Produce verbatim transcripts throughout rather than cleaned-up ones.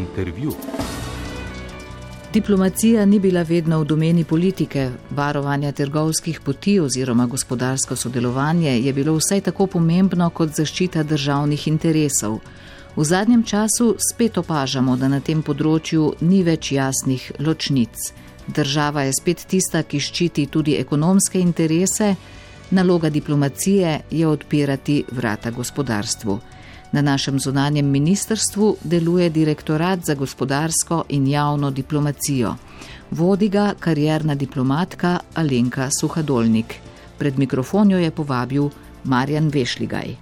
Intervju. Diplomacija ni bila vedno v domeni politike, varovanja trgovskih poti oziroma gospodarsko sodelovanje je bilo vsaj tako pomembno kot zaščita državnih interesov. V zadnjem času spet opažamo, da na tem področju ni več jasnih ločnic. Država je spet tista, ki ščiti tudi ekonomske interese, naloga diplomacije je odpirati vrata gospodarstvu. Na našem zunanjem ministrstvu deluje Direktorat za gospodarsko in javno diplomacijo. Vodi ga karierna diplomatka Alenka Suhadolnik. Pred mikrofon jo je povabil Marjan Vešligaj.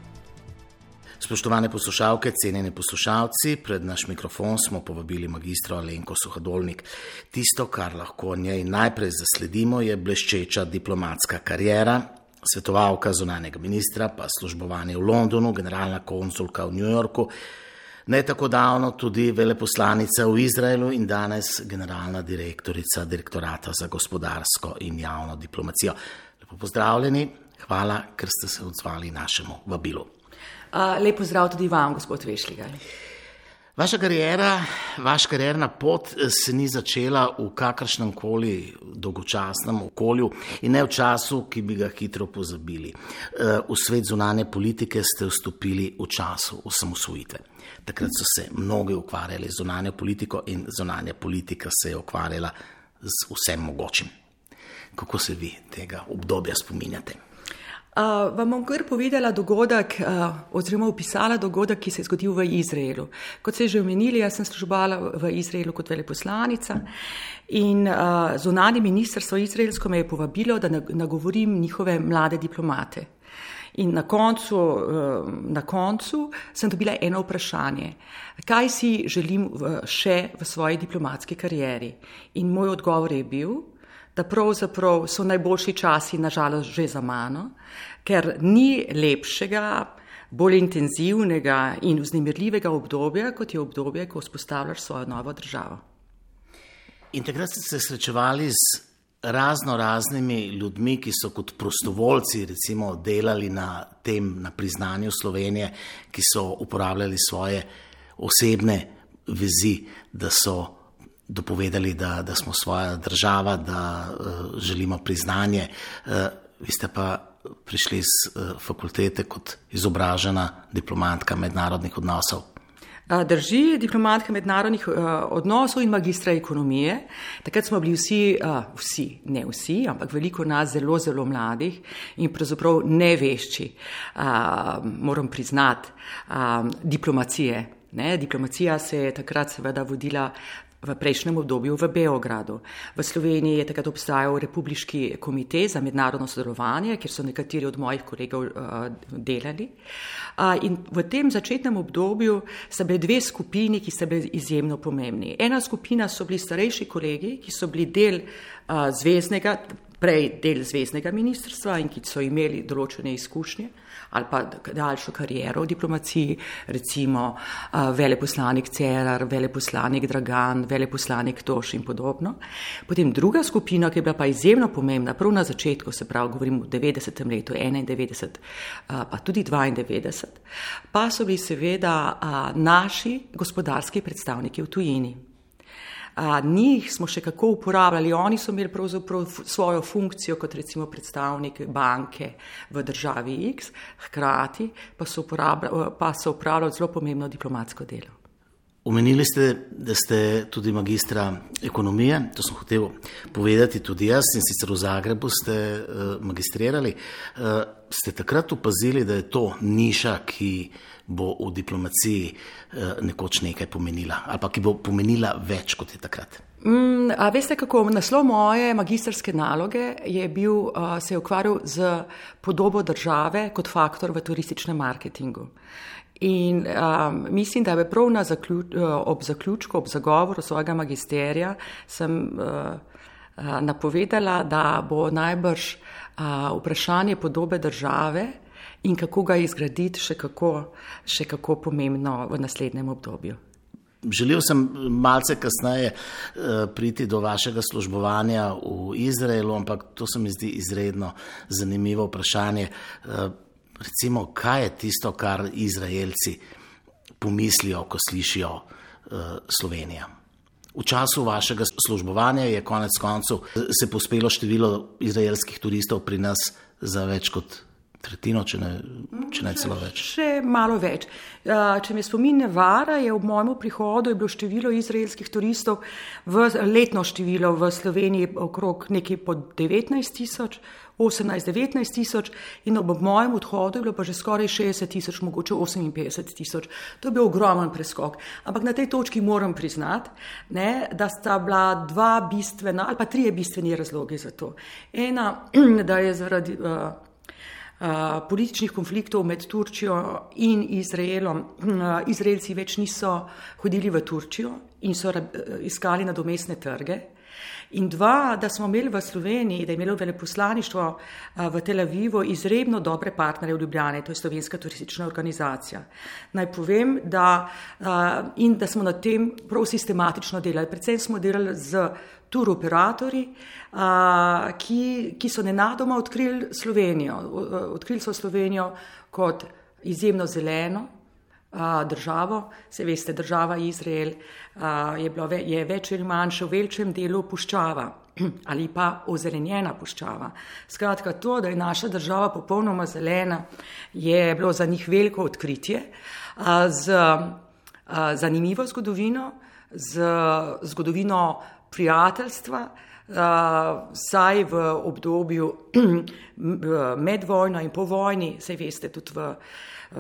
Spoštovane poslušalke, cenjeni poslušalci, pred naš mikrofon smo povabili magistro Alenko Suhadolnik. Tisto, kar lahko njej najprej zasledimo, je bleščeča diplomatska kariera, svetovalka zunanjega ministra, pa službovanje v Londonu, generalna konsulka v New Yorku, ne tako davno tudi veleposlanica v Izraelu in danes generalna direktorica Direktorata za gospodarsko in javno diplomacijo. Lepo pozdravljeni, hvala, ker ste se odzvali našemu vabilu. Uh, lep pozdrav tudi vam, gospod Vešligaj. Vaša kariera, vaša karierna pot se ni začela v kakršnem koli dolgočasnem okolju in ne v času, ki bi ga hitro pozabili. V svet zunanje politike ste vstopili v času osamosvojitve. Takrat so se mnogi ukvarjali z zunanjo politiko in zunanja politika se je ukvarjala z vsem mogočim. Kako se vi tega obdobja spominjate? Uh, vam bom kar povedala dogodek, uh, oziroma opisala dogodek, ki se je zgodil v Izraelu. Kot ste že omenili, jaz sem službovala v Izraelu kot veleposlanica in uh, zunanje ministrstvo izraelsko me je povabilo, da nagovorim njihove mlade diplomate. In na koncu, uh, na koncu sem dobila eno vprašanje, kaj si želim v, še v svoji diplomatski karieri. In moj odgovor je bil, da pravzaprav so najboljši časi nažalost že za mano, ker ni lepšega, bolj intenzivnega in vznemirljivega obdobja, kot je obdobje, ko vzpostavljaš svojo novo državo. In takrat ste se srečevali z razno raznimi ljudmi, ki so kot prostovoljci recimo delali na tem, na priznanju Slovenije, ki so uporabljali svoje osebne vezi, da so dopovedali, da, da smo svoja država, da uh, želimo priznanje. Uh, vi ste pa prišli z uh, fakultete kot izobražena diplomatka mednarodnih odnosov. Drži, diplomatka mednarodnih uh, odnosov in magistra ekonomije. Takrat smo bili vsi, uh, vsi, ne vsi, ampak veliko nas zelo, zelo mladih in pravzaprav nevešči, uh, moram priznati, uh, diplomacije. Ne? Diplomacija se je takrat seveda vodila v prejšnjem obdobju v Beogradu. V Sloveniji je takrat obstajal Republiški komitej za mednarodno sodelovanje, kjer so nekateri od mojih kolegov uh, delali. Uh, in v tem začetnem obdobju so bile dve skupini, ki so bili izjemno pomembni. Ena skupina so bili starejši kolegi, ki so bili del uh, zveznega, prej del zveznega ministrstva in ki so imeli določene izkušnje ali pa daljšo kariero v diplomaciji, recimo uh, veleposlanik Cerar, veleposlanik Dragan, veleposlanik Toš in podobno. Potem druga skupina, ki je bila pa izjemno pomembna, prav na začetku, se pravi, govorim v devetdesetem letu, enaindevetdeset, uh, pa tudi dvaindevetdeset, pa so bili seveda uh, naši gospodarski predstavniki v tujini. A, njih smo še kako uporabljali, oni so imeli pravzaprav svojo funkcijo kot recimo predstavnik banke v državi X, hkrati pa so, pa so upravljali zelo pomembno diplomatsko delo. Omenili ste, da ste tudi magistra ekonomije, to sem hotel povedati tudi jaz, in sicer v Zagrebu ste uh, magistrirali. Uh, ste takrat opazili, da je to niša, ki bo v diplomaciji uh, nekoč nekaj pomenila, ali pa ki bo pomenila več, kot je takrat? Mm, a veste kako, naslov moje magistrske naloge je bil, uh, se je ukvarjal z podobo države kot faktor v turističnem marketingu. In um, mislim, da je prav na zaključ, ob zaključku, ob zagovoru svojega magisterija sem uh, uh, napovedala, da bo najbrž uh, vprašanje podobe države in kako ga izgraditi še kako, še kako pomembno v naslednjem obdobju. Želel sem malce kasneje uh, priti do vašega službovanja v Izraelu, ampak to se mi zdi izredno zanimivo vprašanje. Uh, Recimo, kaj je tisto, kar Izraelci pomislijo, ko slišijo Slovenija. V času vašega službovanja je konec koncev se pospelo število izraelskih turistov pri nas za več kot tretjino, če ne, če ne celo več. Še malo več. Če me spomin ne vara, je ob mojem prihodu je bilo število izraelskih turistov v letno število v Sloveniji okrog nekaj pod devetnajst tisoč, osemnajst devetnajst tisoč in ob mojem odhodu je bilo pa že skoraj šestdeset tisoč, mogoče oseminpetdeset tisoč. To je bil ogromen preskok. Ampak na tej točki moram priznati, ne, da sta bila dva bistvena ali pa trije bistveni razlogi za to. Ena, da je zaradi uh, Uh, političnih konfliktov med Turčijo in Izraelom. Uh, Izraelci več niso hodili v Turčijo in so uh, iskali nadomestne trge. In dva, da smo imeli v Sloveniji, da je imelo veleposlaništvo uh, v Tel Avivu izredno dobre partnerje v Ljubljani, to je Slovenska turistična organizacija. Naj povem, da, uh, in da smo na tem prav sistematično delali. Predvsem smo delali z tur operatorji, uh, ki, ki so nenadoma odkrili Slovenijo. Odkrili so Slovenijo kot izjemno zeleno uh, državo. Se veste, država Izrael uh, je, bilo, je več ali manj še v večjem delu puščava ali pa ozelenjena puščava. Skratka, to, da je naša država popolnoma zelena, je bilo za njih veliko odkritje uh, z uh, zanimivo zgodovino, z zgodovino prijateljstva, saj v obdobju med vojno in po vojni, saj veste, tudi v,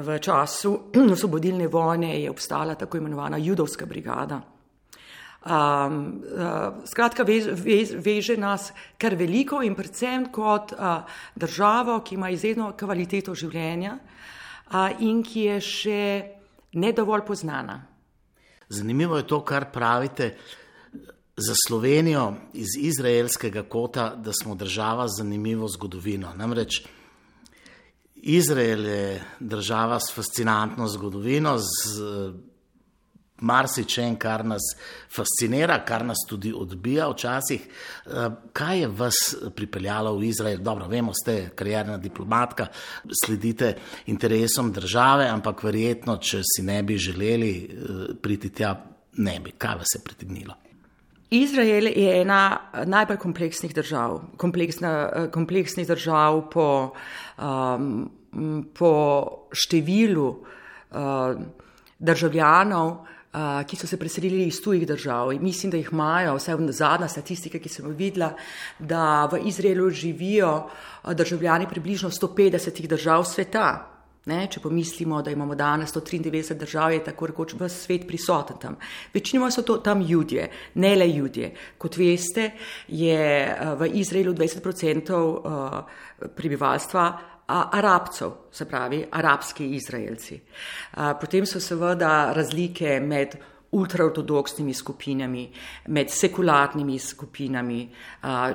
v času osvobodilne vojne je obstala tako imenovana judovska brigada. Um, uh, skratka, veže, veže nas kar veliko in predvsem kot uh, državo, ki ima izredno kvaliteto življenja uh, in ki je še ne dovolj poznana. Zanimivo je to, kar pravite za Slovenijo iz izraelskega kota, da smo država z zanimivo zgodovino. Namreč Izrael je država s fascinantno zgodovino, z marsičem, kar nas fascinira, kar nas tudi odbija včasih. Kaj je vas pripeljalo v Izrael? Dobro, vemo, ste karierna diplomatka, sledite interesom države, ampak verjetno, če si ne bi želeli priti tja, ne bi. Kaj vas je pritegnilo? Izrael je ena najbolj kompleksnih držav, kompleksna, kompleksnih držav po, um, po številu uh, državljanov, uh, ki so se preselili iz tujih držav. In mislim, da jih imajo, vsaj zadnja statistika, ki sem jo videla, da v Izraelu živijo državljani približno sto petdesetih držav sveta. Ne, če pomislimo, da imamo danes sto triindevetdeset držav, je tako rekoč ves svet prisoten tam. Večinoma so to tam Judje, ne le Judje. Kot veste, je v Izraelu dvajset procentov prebivalstva Arabcev, se pravi arabski Izraelci. Potem so seveda razlike med ultraortodoksnimi skupinami, med sekularnimi skupinami,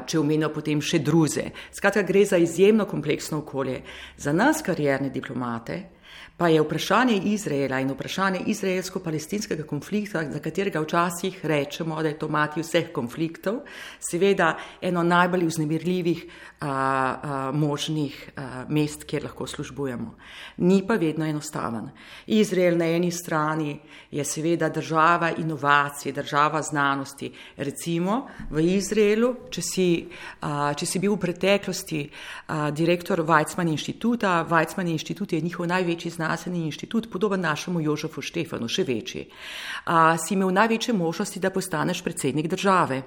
če omenimo potem še druze. Skratka, gre za izjemno kompleksno okolje. Za nas, karierne diplomate, pa je vprašanje Izraela in vprašanje izraelsko-palestinskega konflikta, za katerega včasih rečemo, da je to mati vseh konfliktov, seveda eno najbolj vznemirljivih a, a, možnih a, mest, kjer lahko službujemo. Ni pa vedno enostaven. Izrael na eni strani je seveda država inovacij, država znanosti. Recimo v Izraelu, če si, a, če si bil v preteklosti a, direktor Weizmann inštituta, Weizmann inštitut je njihov največji znanstveni inštitut, podoben našemu Jožefu Štefanu, še večji. A, si imel največje možnosti, da postaneš predsednik države.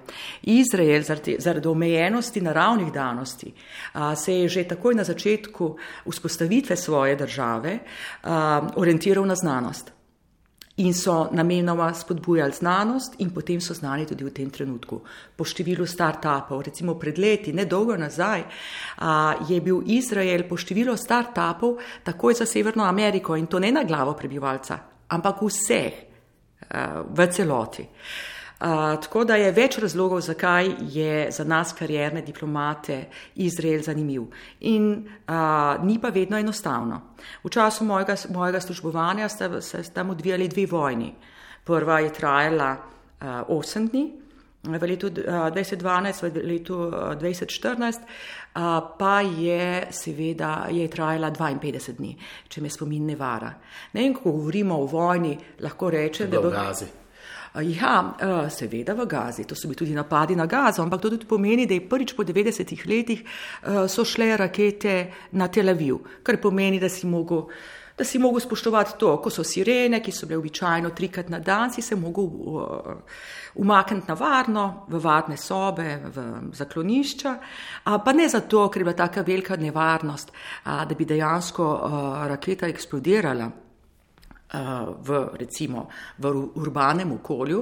Izrael zaradi, zaradi omejenosti naravnih danosti a, se je že takoj na začetku vzpostavitve svoje države a, orientiral na znanost. In so namenoma spodbujali znanost in potem so znali tudi v tem trenutku. Po številu start-upov, recimo pred leti, nedolgo nazaj, a, je bil Izrael po številu start-upov takoj za Severno Ameriko in to ne na glavo prebivalca, ampak vseh a, v celoti. A, tako da je več razlogov, zakaj je za nas karierne diplomate Izrael zanimiv. In a, ni pa vedno enostavno. V času mojega, mojega službovanja sta se tam odvijali dve vojni. Prva je trajala a, osem dni, v letu dvajset dvanajst, v letu dvajset štirinajst, a, pa je seveda je trajala dvainpetdeset dni, če me spomin ne vara. Ne, in ko govorimo o vojni, lahko rečem, da bo... Ja, seveda v Gazi, to so bili tudi napadi na Gazo, ampak to tudi pomeni, da je prvič po devetdesetih letih so šle rakete na Tel Aviv, kar pomeni, da si mogel, da si mogel spoštovati to, ko so sirene, ki so bile običajno trikrat na dan, si se mogel umakniti na varno, v varne sobe, v zaklonišča, pa ne zato, ker je bila taka velika nevarnost, da bi dejansko raketa eksplodirala. V, recimo, v urbanem okolju,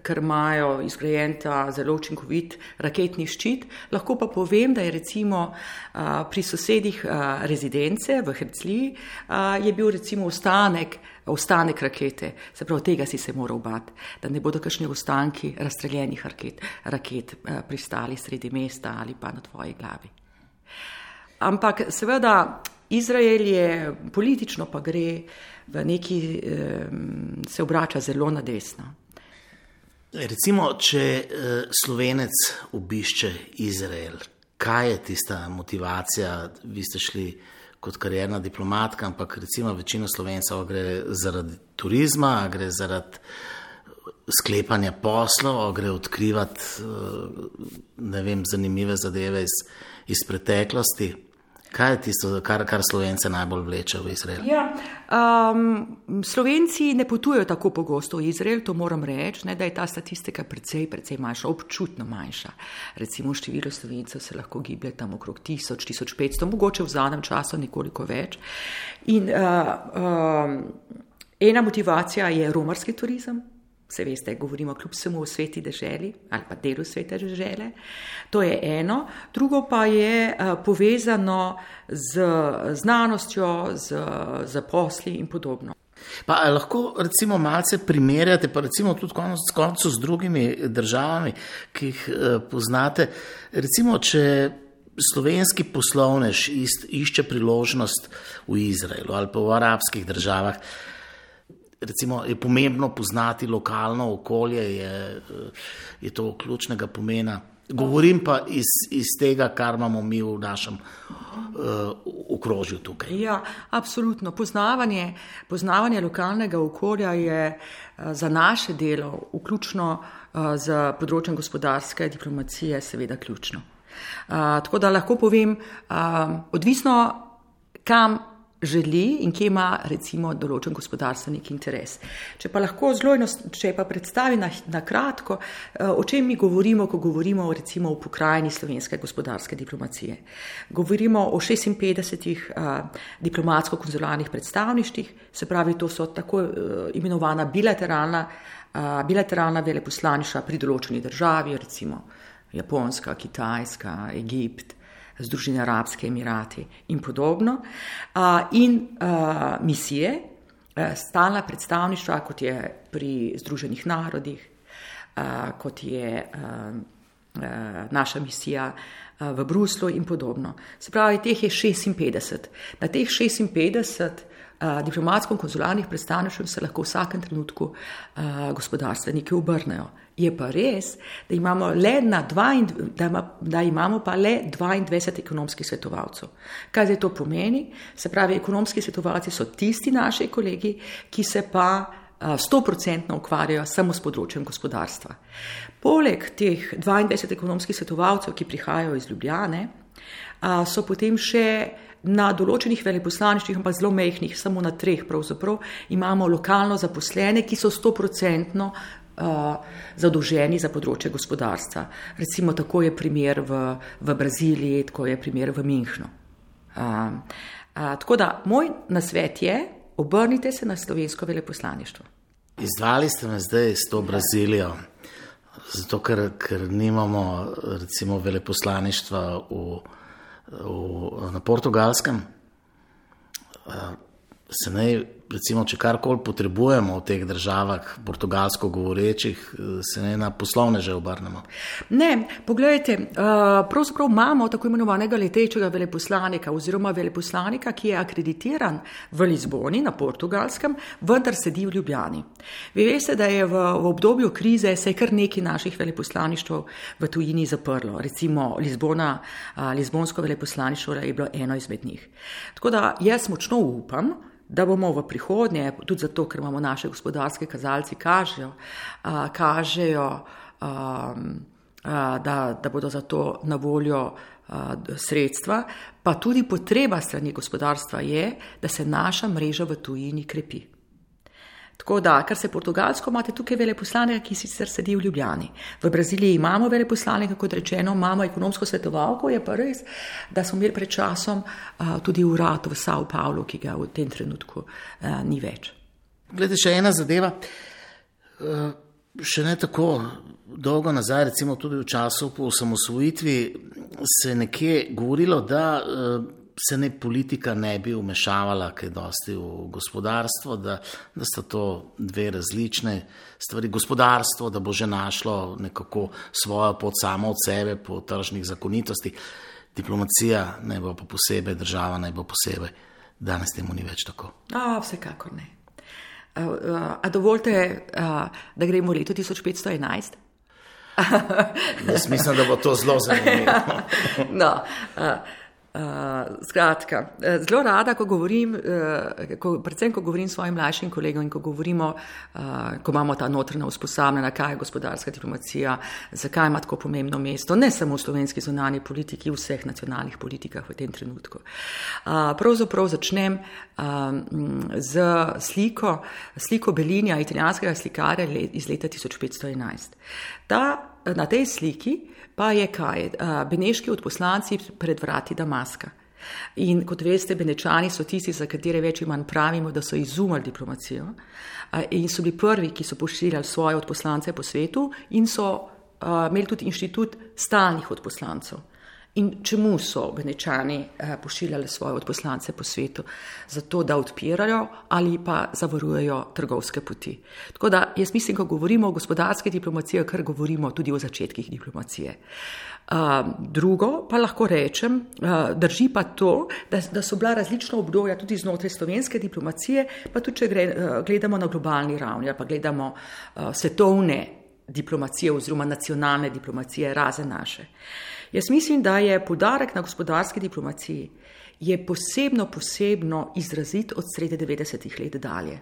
ker imajo izgrajen ta zelo učinkovit raketni ščit. Lahko pa povem, da je recimo pri sosedih rezidence v Herzliji je bil recimo ostanek, ostanek rakete, se pravi, tega si se moral bati, da ne bodo kakšni ostanki razstreljenih raket, raket pristali sredi mesta ali pa na tvoji glavi. Ampak seveda Izrael je politično pa gre v neki, se obrača zelo na desno. Recimo, če Slovenec obišče Izrael, kaj je tista motivacija? Vi ste šli kot karierna diplomatka, ampak recimo večina Slovencev gre zaradi turizma, gre zaradi sklepanja poslov, gre odkrivati, ne vem, zanimive zadeve iz, iz preteklosti. Kaj je tisto, kar, kar Slovence najbolj vleče v Izrael? Ja, um, Slovenci ne potujejo tako pogosto v Izrael, to moram reči, ne, da je ta statistika precej, precej manjša, občutno manjša. Recimo število Slovencev se lahko giblje tam okrog tisoč, tisoč petsto, mogoče v zadnjem času nekoliko več. In uh, um, ena motivacija je romarski turizem. Se veste, govorimo kljub vsemu o sveti deželi ali pa delu svete dežele. To je eno. Drugo pa je uh, povezano z znanostjo, z, z posli in podobno. Pa lahko recimo malce primerjate, pa recimo tudi konec koncu z drugimi državami, ki jih uh, poznate. Recimo, če slovenski poslovnež išče priložnost v Izraelu ali pa v arabskih državah, recimo je pomembno poznati lokalno okolje, je, je to ključnega pomena. Govorim pa iz, iz tega, kar imamo mi v našem uh, okrožju tukaj. Ja, absolutno. Poznavanje, poznavanje lokalnega okolja je uh, za naše delo, vključno uh, z področjem gospodarske diplomacije, seveda ključno. Uh, tako da lahko povem, uh, odvisno kam želi in kje ima recimo določen gospodarstvenik interes. Če pa lahko zelo, če pa predstavi na, na kratko, o čem mi govorimo, ko govorimo recimo o pokrajini slovenske gospodarske diplomacije. Govorimo o šestinpetdesetih uh, diplomatsko-konzularnih predstavništvih, se pravi, to so tako uh, imenovana bilateralna, uh, bilateralna veleposlaništva pri določeni državi, recimo Japonska, Kitajska, Egipt, Združeni arabski emirati in podobno, in misije, stalna predstavništva, kot je pri Združenih narodih, kot je naša misija v Bruslu in podobno. Se pravi, teh je šestinpetdeset. Na teh šestinpetdeset diplomatsko-konzularnih predstavništev se lahko v vsakem trenutku gospodarstveniki obrnejo. Je pa res, da imamo, le na dva, da ima, da imamo pa le dvaindvajset ekonomskih svetovalcev. Kaj zdaj to pomeni? Se pravi, ekonomski svetovalci so tisti naši kolegi, ki se pa sto procentno ukvarjajo samo s področjem gospodarstva. Poleg teh dvaindvajset ekonomskih svetovalcev, ki prihajajo iz Ljubljane, so potem še na določenih veleposlaništvih, pa zelo mehkih, samo na treh pravzaprav, imamo lokalno zaposlene, ki so sto procentno zadolženi za področje gospodarstva. Recimo tako je primer v, v Braziliji, tako je primer v Minhnu. A, a, tako da moj nasvet je, obrnite se na slovensko veleposlaništvo. Izdvali ste me zdaj s to Brazilijo, zato ker, ker nimamo recimo veleposlaništva v, v, na Portugalskem. A, se naj, recimo, če karkoli potrebujemo v teh državah, portugalsko govorečih, se naj na poslovneže obrnemo? Ne, pogledajte, pravzaprav imamo tako imenovanega letečega veleposlanika oziroma veleposlanika, ki je akreditiran v Lizboni na Portugalskem, vendar sedi v Ljubljani. Vi veste, da je v, v obdobju krize se je kar nekaj naših veleposlaništv v tujini zaprlo. Recimo Lizbona, Lizbonsko veleposlaništvo je bilo eno izmed njih. Tako da jaz močno upam, da bomo v prihodnje, tudi zato, ker imamo naše gospodarske kazalci, kažejo, a, kažejo a, a, da, da bodo za to na voljo a, sredstva, pa tudi potreba strani gospodarstva je, da se naša mreža v tujini krepi. Tako da, kar se Portugalsko, imate tukaj veleposlanika, ki sicer sedi v Ljubljani. V Braziliji imamo veleposlanika, kot rečeno, imamo ekonomsko svetovalko, je pa res, da smo imeli pred časom uh, tudi urad v São Paulo, ki ga v tem trenutku uh, ni več. Glede, še ena zadeva, uh, še ne tako dolgo nazaj, recimo tudi v času po osamosvojitvi, se nekje govorilo, da uh, se ne politika ne bi vmešavala kaj dosti v gospodarstvo, da, da sta to dve različne stvari. Gospodarstvo, da bo že našlo nekako svojo pot samo od sebe po tržnih zakonitosti. Diplomacija naj bo pa posebej, država naj bo posebej. Danes temu ni več tako. A, vsekakor ne. A, a, a dovolite, a, da gremo v leto tisoč petsto enajst? Jaz mislim, da bo to zelo zanimivo. No, a, Uh, skratka, zelo rada, ko govorim, uh, ko, predvsem ko govorim s svojim mlajšim kolegom in ko govorimo, uh, ko imamo ta notranja usposabljanja, kaj je gospodarska diplomacija, zakaj ima tako pomembno mesto, ne samo v slovenski zunanji politiki, v vseh nacionalnih politikah v tem trenutku. Uh, pravzaprav začnem uh, z sliko, sliko Bellinija, italijanskega slikarja iz leta tisoč petsto enajst. Ta, na tej sliki pa je kaj? Beneški odposlanci pred vrati Damaska. In kot veste, Benečani so tisti, za katere več in manj pravimo, da so izumili diplomacijo in so bili prvi, ki so pošiljali svoje odposlance po svetu in so imeli tudi inštitut stalnih odposlancev. In čemu so Benečani pošiljali svoje odposlance po svetu? Zato, da odpirajo ali pa zavarujejo trgovske poti. Tako da jaz mislim, ko govorimo o gospodarski diplomaciji, kar govorimo tudi o začetkih diplomacije. Uh, drugo pa lahko rečem, uh, drži pa to, da, da so bila različna obdobja tudi znotraj slovenske diplomacije, pa tudi če gre, uh, gledamo na globalni ravni ali pa gledamo uh, svetovne diplomacije oziroma nacionalne diplomacije, razen naše. Jaz mislim, da je poudarek na gospodarski diplomaciji je posebno, posebno izrazit od sredi devetdesetih let dalje.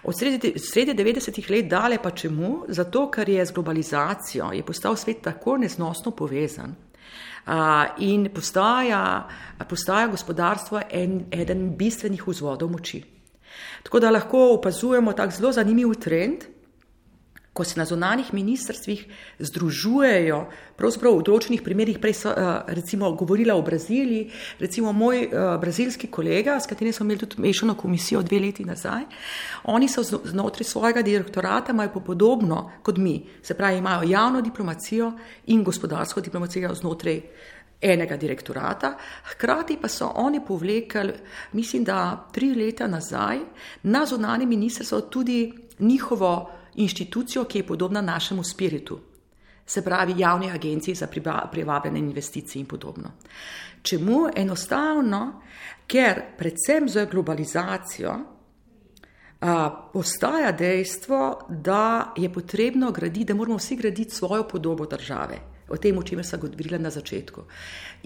Od sredi, sredi devetdesetih let dalje pa čemu? Zato, ker je z globalizacijo je postal svet tako neznosno povezan a, in postaja, postaja gospodarstvo en, eden bistvenih vzvodov moči. Tako da lahko opazujemo tak zelo zanimiv trend, ko se na zunanjih ministrstvih združujejo, pravzaprav v določenih primerih, prej so recimo govorila o Braziliji, recimo moj brazilski kolega, s katerim smo imeli tudi mešano komisijo dve leti nazaj, oni so znotraj svojega direktorata, imajo pa podobno kot mi, se pravi, imajo javno diplomacijo in gospodarsko diplomacijo znotraj enega direktorata, hkrati pa so oni povlekli, mislim, da tri leta nazaj, na zunanje ministrstvo tudi njihovo inštitucijo, ki je podobna našemu spiritu, se pravi javni agenciji za privabljanje investicij in podobno. Čemu? Enostavno, ker predvsem z globalizacijo a, postaja dejstvo, da je potrebno graditi, da moramo vsi graditi svojo podobo države, o tem, o čemer sem govorila na začetku.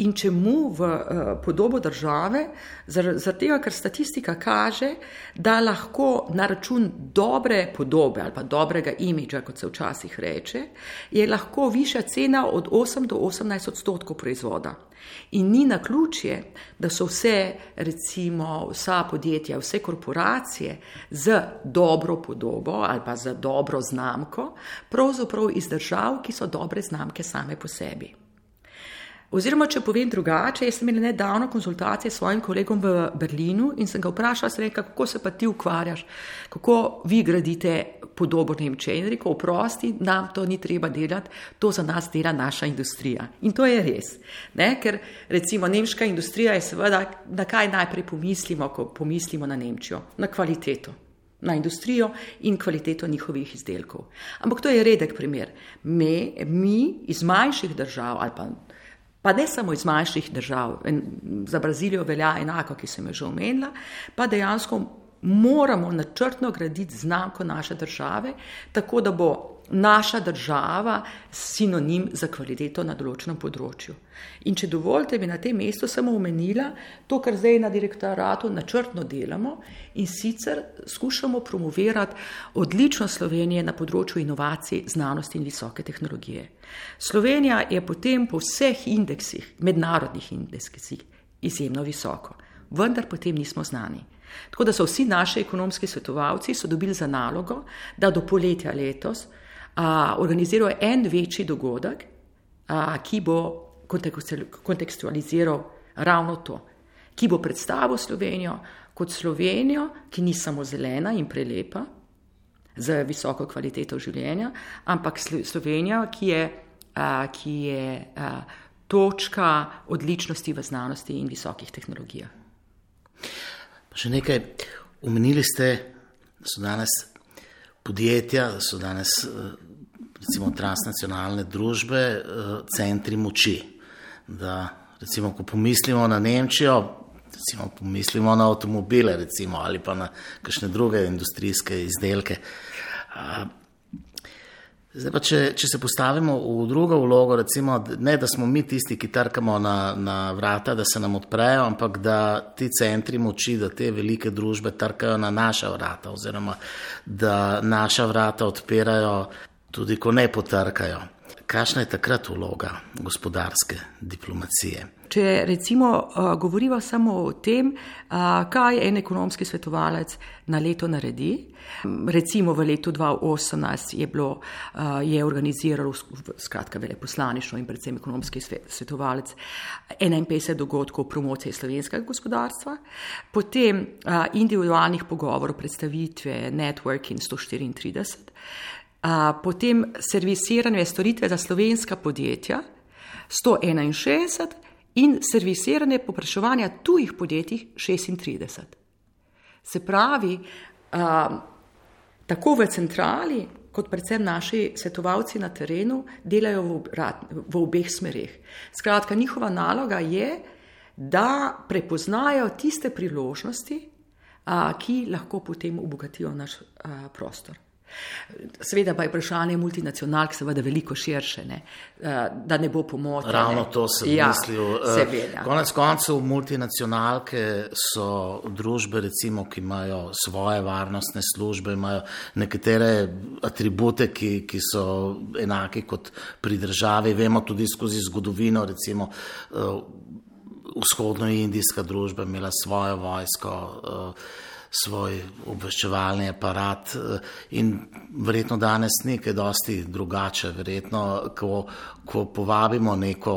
In čemu v uh, podobo države? Zaradi tega, ker statistika kaže, da lahko na račun dobre podobe ali pa dobrega imidža, kot se včasih reče, je lahko višja cena od osem do osemnajst odstotkov proizvoda. In ni naključje, da so vse, recimo, vsa podjetja, vse korporacije z dobro podobo ali pa z dobro znamko, pravzaprav iz držav, ki so dobre znamke same po sebi. Oziroma, če povem drugače, jaz sem imela nedavno konzultacije s svojim kolegom v Berlinu in sem ga vprašala, sem rekla, kako se pa ti ukvarjaš, kako vi gradite podobo Nemčije. In rekel, oprosti, nam to ni treba delati, to za nas dela naša industrija. In to je res, ne? Ker recimo nemška industrija je seveda, na kaj najprej pomislimo, ko pomislimo na Nemčijo? Na kvaliteto, na industrijo in kvaliteto njihovih izdelkov. Ampak to je redek primer. Me, mi iz manjših držav ali pa Pa ne samo iz manjših držav, za Brazilijo velja enako, ki sem jo že omenila, pa dejansko moramo načrtno graditi znamko naše države, tako da bo naša država sinonim za kvaliteto na določenem področju. In če dovolite, bi na tem mestu samo omenila to, kar zdaj na direktoratu načrtno delamo, in sicer skušamo promovirati odličnost Slovenije na področju inovacij, znanosti in visoke tehnologije. Slovenija je potem po vseh indeksih, mednarodnih indeksih, izjemno visoko, vendar potem nismo znani. Tako da so vsi naši ekonomski svetovalci so dobili za nalogo, da do poletja letos a, organizirajo en večji dogodek, a, ki bo kontekstualiziral ravno to, ki bo predstavil Slovenijo kot Slovenijo, ki ni samo zelena in prelepa z visoko kvaliteto življenja, ampak Slovenija, ki je, a, ki je a, točka odličnosti v znanosti in visokih tehnologijah. Pa še nekaj, omenili ste, da so danes podjetja, da so danes recimo transnacionalne družbe, centri moči. Da recimo, ko pomislimo na Nemčijo, recimo pomislimo na avtomobile recimo, ali pa na kakšne druge industrijske izdelke. Zdaj pa, če, če se postavimo v drugo vlogo, recimo, ne da smo mi tisti, ki trkamo na, na vrata, da se nam odprejo, ampak da ti centri moči, da te velike družbe trkajo na naša vrata oziroma da naša vrata odpirajo tudi, ko ne potrkajo. Kakšna je takrat vloga gospodarske diplomacije? Če recimo uh, govoriva samo o tem, uh, kaj en ekonomski svetovalec na leto naredi. Recimo v letu dva tisoč osemnajst je bilo, uh, je organiziralo skratka veleposlaništvo in predvsem ekonomski svetovalec enainpetdeset dogodkov promocije slovenskega gospodarstva, potem uh, individualnih pogovorov, predstavitve, networking sto štiriintrideset, uh, potem servisiranje storitve za slovenska podjetja sto enainšestdeset in servisiranje popraševanja tujih podjetij šestintrideset. Se pravi, uh, tako v centrali, kot predvsem naši svetovalci na terenu, delajo v, obrat, v obeh smereh. Skratka, njihova naloga je, da prepoznajo tiste priložnosti, a, ki lahko potem obogatijo naš a, prostor. Seveda pa je vprašanje multinacionalk seveda veliko širše, ne? Da ne bo pomote. Ravno to sem ja, mislil. Seveda. Konec koncev multinacionalke so družbe, recimo, ki imajo svoje varnostne službe, imajo nekatere atribute, ki, ki so enaki kot pri državi. Vemo tudi skozi zgodovino, recimo vzhodnoindijska družba imela svojo vojsko, svoj obveščevalni aparat in verjetno danes nekaj dosti drugače. Verjetno, ko, ko povabimo neko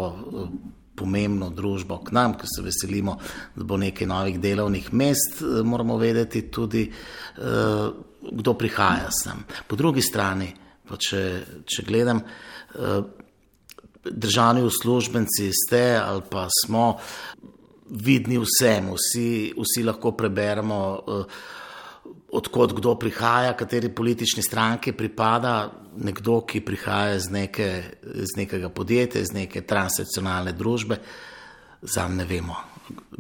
pomembno družbo k nam, ko se veselimo, da bo nekaj novih delovnih mest, moramo vedeti tudi, kdo prihaja sem. Po drugi strani, pa če, če gledam, državni uslužbenci ste ali pa smo vidni vsem, vsi, vsi lahko preberemo, odkot kdo prihaja, kateri politični stranki pripada, nekdo, ki prihaja iz, neke, iz nekega podjetja, iz neke transnacionalne družbe, zanj ne vemo,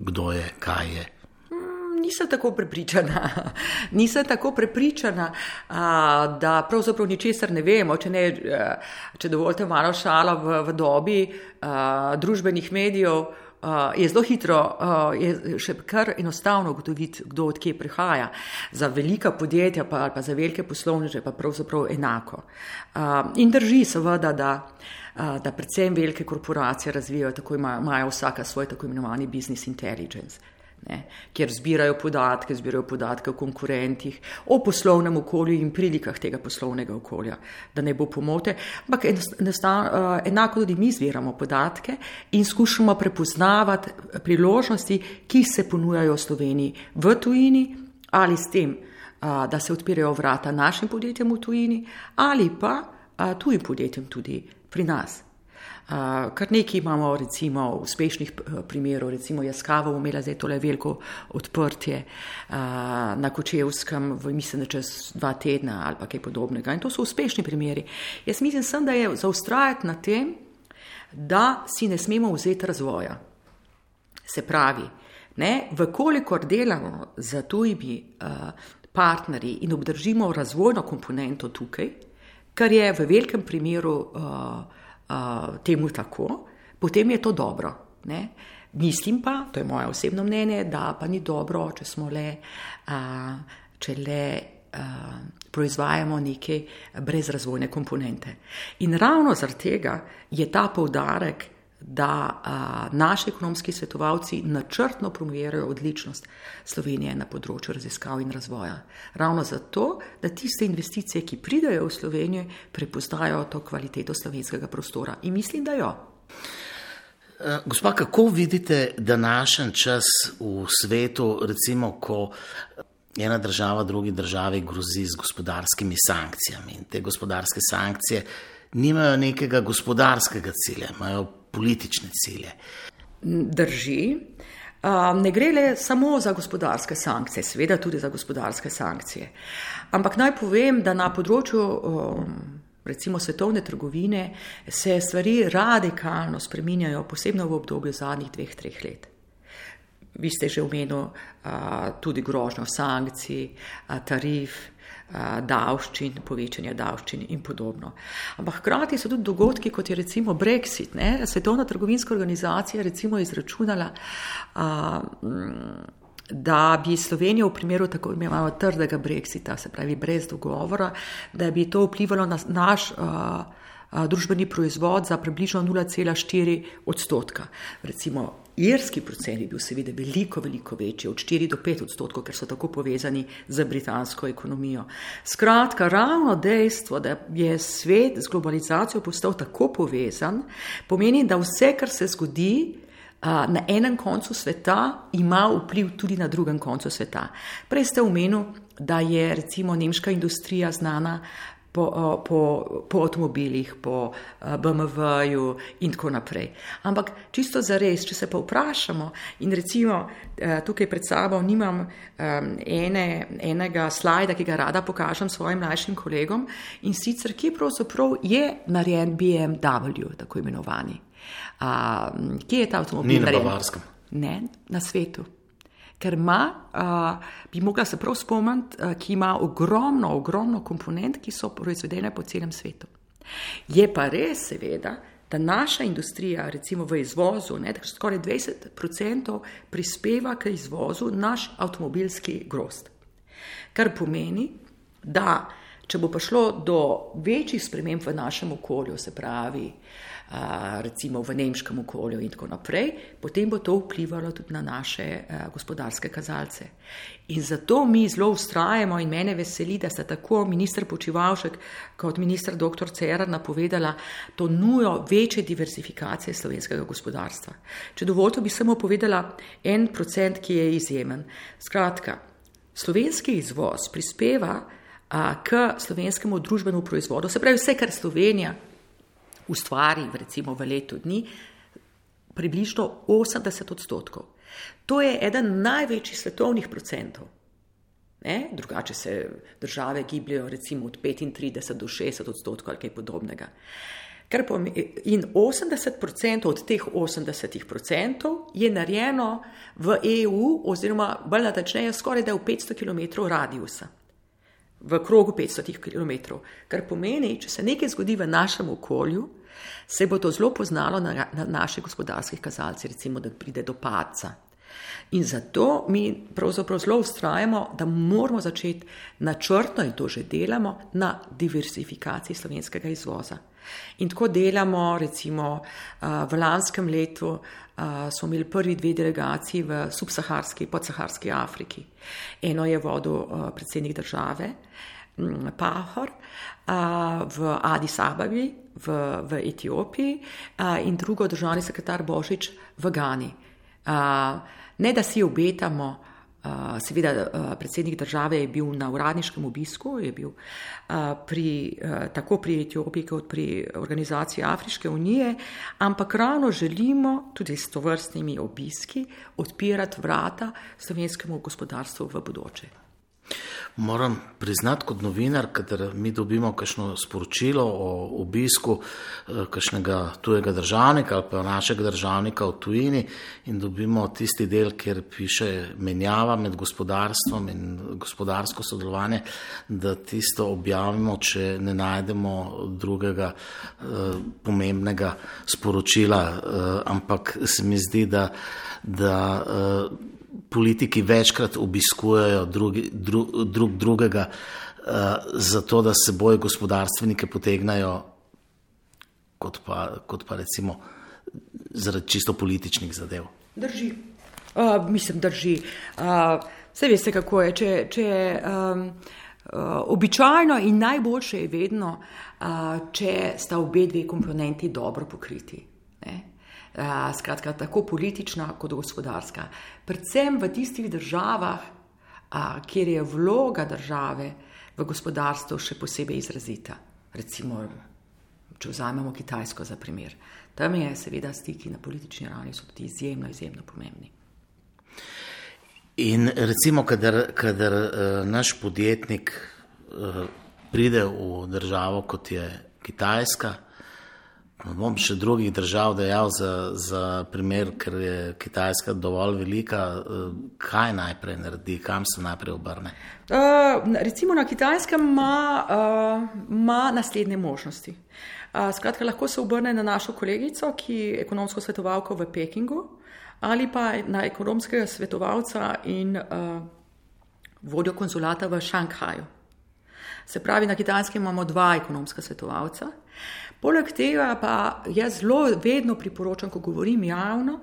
kdo je, kaj je. Nisem tako prepričana, nisem tako prepričana, da pravzaprav ničesar ne vemo, če, ne, če dovolite malo šala v, v dobi družbenih medijev, Uh, je zelo hitro, uh, je še kar enostavno ugotoviti, kdo od kje prihaja. Za velika podjetja pa, ali pa za velike poslovneže pa pravzaprav enako. Uh, in drži seveda, da, uh, da predvsem velike korporacije razvijajo, tako imajo, imajo vsaka svoj tako imenovani business intelligence, ne, kjer zbirajo podatke, zbirajo podatke o konkurentih, o poslovnem okolju in prilikah tega poslovnega okolja, da ne bo pomote, ampak enako tudi mi zbiramo podatke in skušamo prepoznavati priložnosti, ki se ponujajo v Sloveniji v tujini, ali s tem, da se odpirajo vrata našim podjetjem v tujini, ali pa tujim podjetjem tudi pri nas. Uh, kar nekaj imamo recimo uspešnih primerov, recimo Yaskawa imela zdaj tole veliko odprtje uh, na Kočevskem, v, mislim, da čez dva tedna ali pa kaj podobnega. In to so uspešni primeri. Jaz mislim sem, da je zaustrajati na tem, da si ne smemo vzeti razvoja. Se pravi, ne, vkolikor delamo za tujimi uh, partnerji in obdržimo razvojno komponento tukaj, kar je v velikem primeru uh, uh, temu tako, potem je to dobro. Ne? Mislim pa, to je moje osebno mnenje, da pa ni dobro, če smo le, uh, če le uh, proizvajamo neke brezrazvojne komponente. In ravno zaradi tega je ta poudarek, da a, naši ekonomski svetovalci načrtno promovirajo odličnost Slovenije na področju raziskav in razvoja. Ravno zato, da tiste investicije, ki pridejo v Slovenijo, prepoznajo to kvaliteto slovenskega prostora. In mislim, da jo. Gospa, kako vidite današnji čas v svetu, recimo, ko ena država drugi državi grozi z gospodarskimi sankcijami in te gospodarske sankcije nimajo nekega gospodarskega cilja, imajo politične cilje. Drži. Ne gre le samo za gospodarske sankcije, seveda tudi za gospodarske sankcije. Ampak naj povem, da na področju recimo svetovne trgovine se stvari radikalno spreminjajo, posebno v obdobju zadnjih dveh, treh let. Vi ste že omenili tudi grožnjo sankcij, tarif, davščin, povečanja davščin in podobno. Ampak hkrati so tudi dogodki, kot je recimo Brexit. Ne? Svetovna trgovinska organizacija recimo izračunala, a, da bi Slovenija v primeru tako imenovanega trdega Brexita, se pravi brez dogovora, da bi to vplivalo na naš a, a, družbeni proizvod za približno nula cela štiri odstotka. Recimo irski procent je bil seveda veliko, veliko večji, od štiri do pet odstotkov, ker so tako povezani z britansko ekonomijo. Skratka, ravno dejstvo, da je svet z globalizacijo postal tako povezan, pomeni, da vse, kar se zgodi a, na enem koncu sveta, ima vpliv tudi na drugem koncu sveta. Prej ste omenili, da je recimo nemška industrija znana Po, po, po avtomobilih, po B M W-ju in tako naprej. Ampak čisto zares, če se pa vprašamo in recimo tukaj pred sabo nimam ene, enega slajda, ki ga rada pokažem svojim mlajšim kolegom in sicer, ki pravzaprav je narejen B M W, tako imenovani. A, kje je ta avtomobil narejen? Ni na Bavarskem. Ne, na svetu. Ker ima, uh, bi mogla se prav spomniti, uh, ki ima ogromno, ogromno komponent, ki so proizvedene po celem svetu. Je pa res seveda, da naša industrija, recimo v izvozu, ne, skoraj dvajset procentov prispeva k izvozu naš avtomobilski grozd. Kar pomeni, da če bo prišlo do večjih sprememb v našem okolju, se pravi, Uh, recimo v nemškem okolju in tako naprej, potem bo to vplivalo tudi na naše uh, gospodarske kazalce. In zato mi zelo vztrajamo in mene veseli, da sta tako minister Počivalšek kot minister doktor Cerar napovedala to nujo večje diversifikacije slovenskega gospodarstva. Če dovolite, bi samo povedala en procent, ki je izjemen. Skratka, slovenski izvoz prispeva uh, k slovenskemu družbenemu proizvodu, se pravi vse, kar Slovenija ustvari recimo v letu dni, približno osemdeset odstotkov. To je eden največjih svetovnih procentov. Ne? Drugače se države gibljajo recimo od petintrideset do šestdeset odstotkov ali kaj podobnega. In osemdeset odstotkov od teh osemdeset odstotkov je narejeno v E U oziroma bolj natančneje skoraj da v petsto kilometrov radiusa. V krogu petsto kilometrov, kar pomeni, če se nekaj zgodi v našem okolju, se bo to zelo poznalo na, na naših gospodarskih kazalcih, recimo, da pride do padca. In zato mi pravzaprav zelo vztrajamo, da moramo začeti načrtno, in to že delamo, na diversifikaciji slovenskega izvoza. In tako delamo, recimo, v lanskem letu smo imeli prvi dve delegaciji v subsaharski, podsaharski Afriki. Eno je vodil predsednik države, Pahor, v Adis Ababi, v, v Etiopiji in drugo državni sekretar Božič v Gani. Ne, da si obetamo, seveda predsednik države je bil na uradniškem obisku, je bil pri, tako pri Etiopiji kot pri organizaciji Afriške unije, ampak ravno želimo tudi s tovrstnimi obiski odpirati vrata slovenskemu gospodarstvu v bodoče. Moram priznati kot novinar, kadar mi dobimo kakšno sporočilo o obisku kakšnega tujega državnika ali pa našega državnika v tujini in dobimo tisti del, kjer piše menjava med gospodarstvom in gospodarsko sodelovanje, da tisto objavimo, če ne najdemo drugega eh, pomembnega sporočila, eh, ampak se mi zdi, da, da eh, politiki večkrat obiskujejo drugi, dru, drug drugega uh, zato, da se seboj gospodarstvenike potegnajo kot pa, kot pa recimo zaradi čisto političnih zadev. Drži. Uh, mislim, drži. Uh, vse veste, kako je. Če, če, um, uh, običajno in najboljše je vedno, uh, če sta obe dve komponenti dobro pokriti. Ne? Uh, skratka, tako politična kot gospodarska. Predvsem v tistih državah, uh, kjer je vloga države v gospodarstvu še posebej izrazita. Recimo, če vzamemo Kitajsko za primer. Tam je seveda stiki na politični ravni so tudi izjemno, izjemno pomembni. In recimo, kadar, kadar uh, naš podjetnik uh, pride v državo, kot je Kitajska, bom še drugih držav dejal za, za primer, ker je Kitajska dovolj velika, kaj najprej naredi, kam se najprej obrne? Uh, recimo na Kitajskem ima, uh, ima naslednje možnosti. Uh, skratka, lahko se obrne na našo kolegico, ki je ekonomsko svetovalko v Pekingu, ali pa na ekonomskega svetovalca in uh, vodjo konzulata v Šanghaju. Se pravi, na Kitajskem imamo dva ekonomska svetovalca. Poleg tega pa jaz zelo vedno priporočam, ko govorim javno,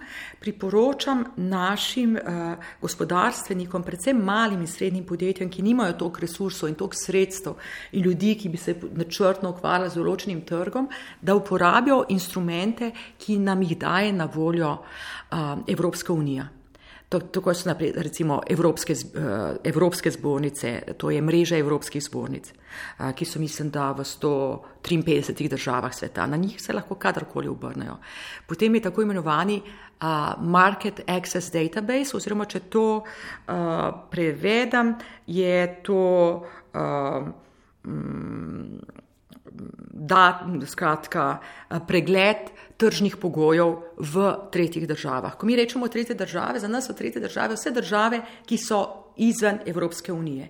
priporočam našim uh, gospodarstvenikom, predvsem malim in srednjim podjetjem, ki nimajo toliko resursov in toliko sredstev in ljudi, ki bi se načrtno ukvarjali z določenim trgom, da uporabijo instrumente, ki nam jih daje na voljo uh, Evropska unija. Tako so naprej, recimo evropske, evropske zbornice, to je mreža evropskih zbornic, ki so mislim, da v sto triinpetdesetih državah sveta. Na njih se lahko kadarkoli obrnejo. Potem je tako imenovani uh, Market Access Database, oziroma če to uh, prevedem, je to uh, da, skratka, pregled tržnih pogojev v tretjih državah. Ko mi rečemo tretje države, za nas so tretje države vse države, ki so izven Evropske unije.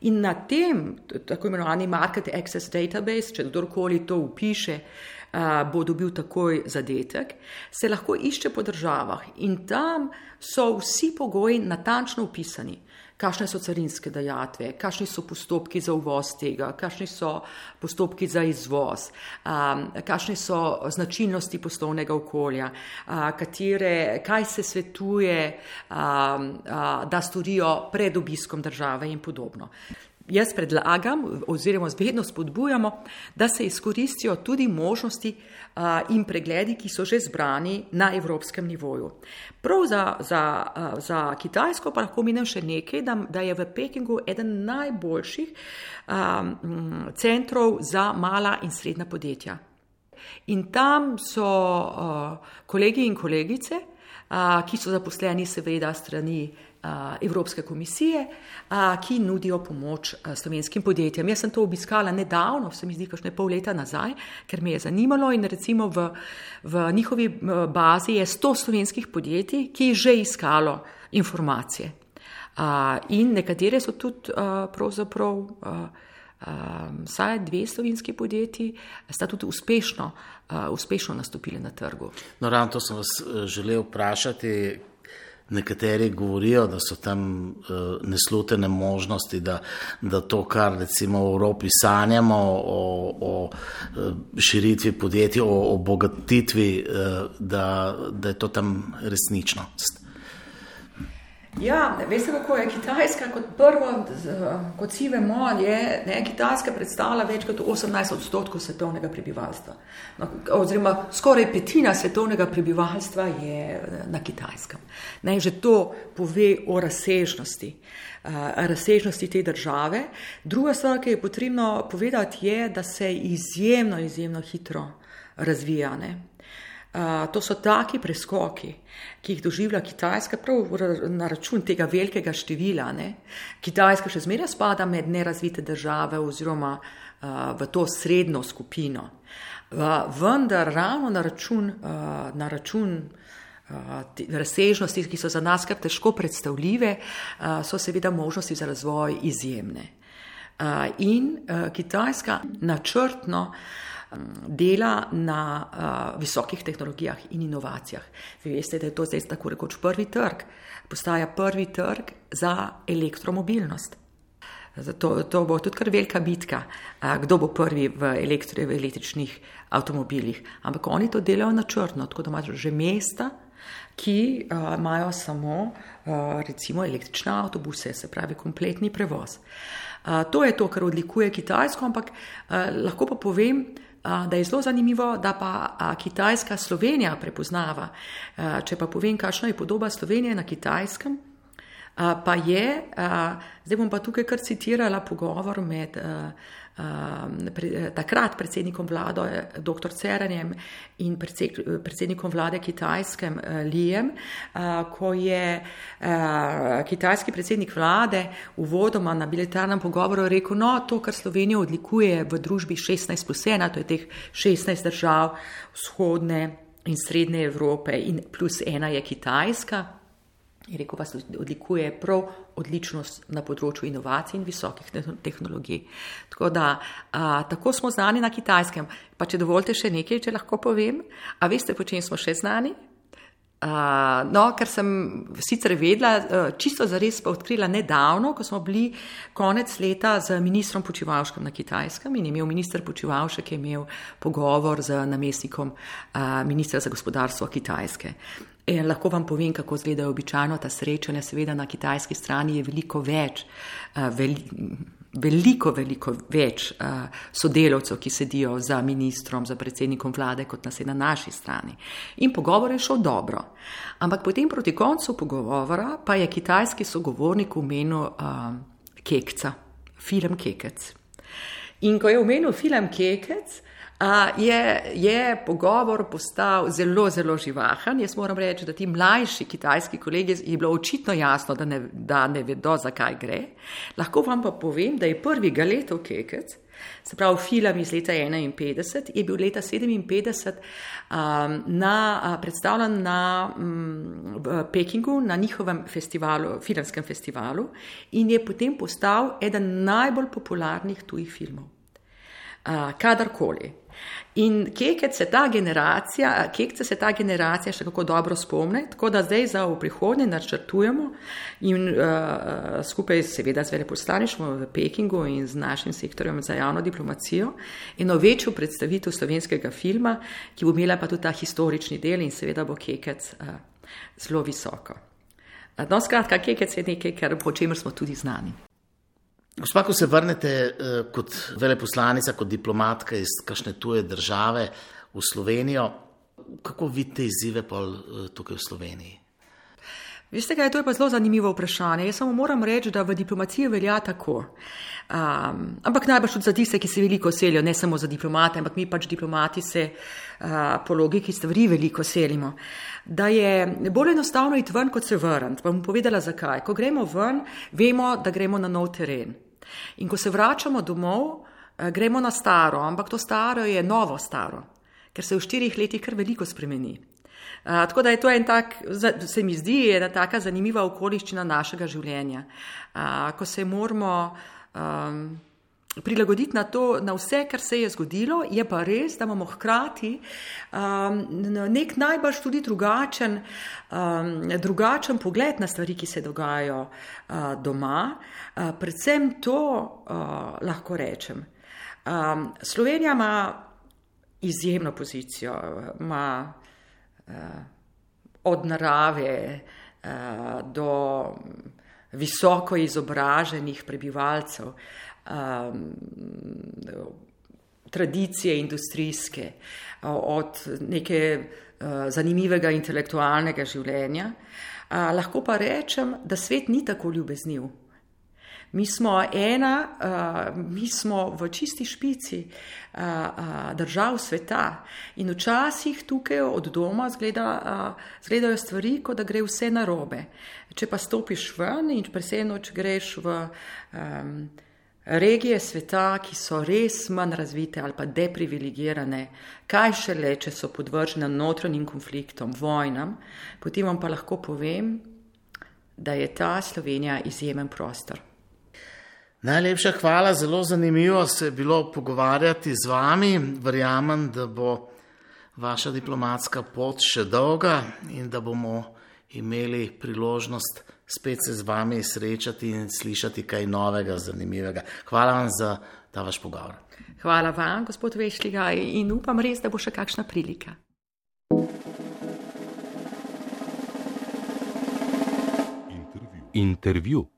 In na tem, tako imenovani Market Access Database, če kdorkoli to upiše, bo dobil takoj zadetek, se lahko išče po državah in tam so vsi pogoji natančno upisani. Kakšne so carinske dajatve, kakšni so postopki za uvoz tega, kakšni so postopki za izvoz, um, kakšne so značilnosti poslovnega okolja, uh, katere, kaj se svetuje, um, uh, da storijo pred obiskom države in podobno. Jaz predlagam oziroma vedno spodbujamo, da se izkoristijo tudi možnosti uh, in pregledi, ki so že zbrani na evropskem nivoju. Prav za, za, uh, za Kitajsko pa lahko menim še nekaj, da, da je v Pekingu eden najboljših um, centrov za mala in srednja podjetja. In tam so uh, kolegi in kolegice, uh, ki so zaposleni seveda strani Evropske komisije, ki nudijo pomoč slovenskim podjetjem. Jaz sem to obiskala nedavno, se mi zdi kakšne pol leta nazaj, ker me je zanimalo in recimo v, v njihovi bazi je sto slovenskih podjetij, ki je že iskalo informacije. In nekatere so tudi pravzaprav vsaj dve slovenski podjetji sta tudi uspešno, uspešno nastopili na trgu. No, ravno to sem vas želel vprašati. Nekateri govorijo, da so tam uh, neslutene možnosti, da, da to, kar recimo v Evropi sanjamo o, o širitvi podjetij, o obogatitvi, uh, da, da je to tam resničnost. Ja, veste, kako je Kitajska kot prvo, kot vsi vemo, je, ne, Kitajska predstavlja več kot osemnajst odstotkov svetovnega prebivalstva. No, oziroma skoraj petina svetovnega prebivalstva je na Kitajskem. Ne, že to pove o razsežnosti, razsežnosti te države. Druga stvar, ki je potrebno povedati, je, da se izjemno, izjemno hitro razvija. Ne. To so taki preskoki, ki jih doživlja Kitajska prav na račun tega velikega števila. Ne? Kitajska še zmeraj spada med nerazvite države oziroma v to srednjo skupino. Vendar ravno na račun, na račun razsežnosti, ki so za nas kar težko predstavljive, so seveda možnosti za razvoj izjemne. In Kitajska načrtno dela na uh, visokih tehnologijah in inovacijah. Vi veste, da je to zdaj tako rekoč prvi trg. Postaja prvi trg za elektromobilnost. Zato, to bo tudi kar velika bitka, uh, kdo bo prvi v, elektri, v električnih avtomobilih. Ampak oni to delajo načrtno, tako da imajo že mesta, ki uh, imajo samo uh, recimo električne avtobuse, se pravi kompletni prevoz. Uh, to je to, kar odlikuje Kitajsko, ampak uh, lahko pa povem, da je zelo zanimivo, da pa Kitajska Slovenija prepoznava. Če pa povem, kakšna je podoba Slovenije na Kitajskem, pa je, zdaj bom pa tukaj kar citirala pogovor med takrat predsednikom vlade doktor Ceranjem in predsednikom vlade Kitajskem Lijem, ko je kitajski predsednik vlade uvodoma na bilateralnem pogovoru rekel, no, to, kar Slovenijo odlikuje v družbi šestnajst plus ena, to je teh šestnajst držav vzhodne in srednje Evrope in plus ena je Kitajska. Je rekel, vas odlikuje prav odličnost na področju inovacij in visokih tehnologij. Tako da, a, tako smo znani na Kitajskem. Pa če dovolite še nekaj, če lahko povem, a veste, po čem smo še znani? A, no, ker sem sicer vedela, čisto zares pa odkrila nedavno, ko smo bili konec leta z ministrom Počivalškom na Kitajskem in imel minister Počivalšek je imel pogovor z namestnikom a, ministra za gospodarstvo Kitajske. In lahko vam povem, kako izgledajo običajno ta srečanja. Seveda na kitajski strani je veliko več, veliko, veliko več sodelavcev, ki sedijo za ministrom, za predsednikom vlade, kot nas je na naši strani. In pogovor je šel dobro. Ampak potem proti koncu pogovora pa je kitajski sogovornik omenil uh, Kekca, film Kekec. In ko je omenil film Kekec, Uh, je, je pogovor postal zelo, zelo živahen. Jaz moram reči, da ti mlajši kitajski kolegi je bilo očitno jasno, da ne, da ne vedo, zakaj gre. Lahko vam pa povem, da je prvi Galetov Kekec, se pravi film iz leta enainpetdeset, je bil leta sedeminpetdeset um, na, predstavljen na um, v Pekingu, na njihovem festivalu, filmskem festivalu in je potem postal eden najbolj popularnih tujih filmov. Uh, kadarkoli. In Kekec se ta generacija, Kekce se ta generacija še kako dobro spomne, tako da zdaj za v prihodnje načrtujemo in uh, skupaj seveda z veleposlaništvom v Pekingu in z našim sektorjem za javno diplomacijo eno večjo predstavitev slovenskega filma, ki bo imela pa tudi ta historični del in seveda bo Kekec uh, zelo visoko. Uh, no, skratka, Kekec je nekaj, kar, po čemer smo tudi znani. Gospa, ko se vrnete eh, kot veleposlanica, kot diplomatka iz kakšne tuje države v Slovenijo, kako vidite izzive pol eh, tukaj v Sloveniji? Veste kaj, to je pa zelo zanimivo vprašanje. Jaz samo moram reči, da v diplomaciji velja tako. Um, ampak najbolj tudi za tiste, ki se veliko selijo, ne samo za diplomate, ampak mi pač diplomati se uh, po logiki stvari veliko selimo. Da je bolj enostavno iti ven, kot se vrniti. Pa bom povedala zakaj. Ko gremo ven, vemo, da gremo na nov teren. In ko se vračamo domov, gremo na staro, ampak to staro je novo staro, ker se v štirih letih kar veliko spremeni. Uh, tako da je to en tak, se mi zdi, ena taka zanimiva okoliščina našega življenja, uh, ko se moramo um, prilagoditi na to, na vse, kar se je zgodilo, je pa res, da imamo hkrati um, nek najbolj tudi drugačen, um, drugačen pogled na stvari, ki se dogajajo uh, doma. Uh, predvsem to uh, lahko rečem. Um, Slovenija ima izjemno pozicijo, ima uh, od narave uh, do visoko izobraženih prebivalcev, Um, tradicije industrijske, od neke uh, zanimivega intelektualnega življenja. Uh, lahko pa rečem, da svet ni tako ljubezniv. Mi smo ena, uh, mi smo v čisti špici uh, uh, držav sveta in včasih tukaj od doma zgleda, uh, zgledajo stvari, kot da gre vse narobe. Če pa stopiš ven in presenoč greš v um, regije sveta, ki so res manj razvite ali pa deprivilegirane, kaj šele, če so podvržene notranjim konfliktom, vojnam, potem vam pa lahko povem, da je ta Slovenija izjemen prostor. Najlepša hvala, zelo zanimivo se je bilo pogovarjati z vami. Verjamem, da bo vaša diplomatska pot še dolga in da bomo imeli priložnost spet se z vami srečati in slišati kaj novega, zanimivega. Hvala vam za ta vaš pogovor. Hvala vam, gospod Vešliga, in upam res, da bo še kakšna prilika. Intervju. Intervju.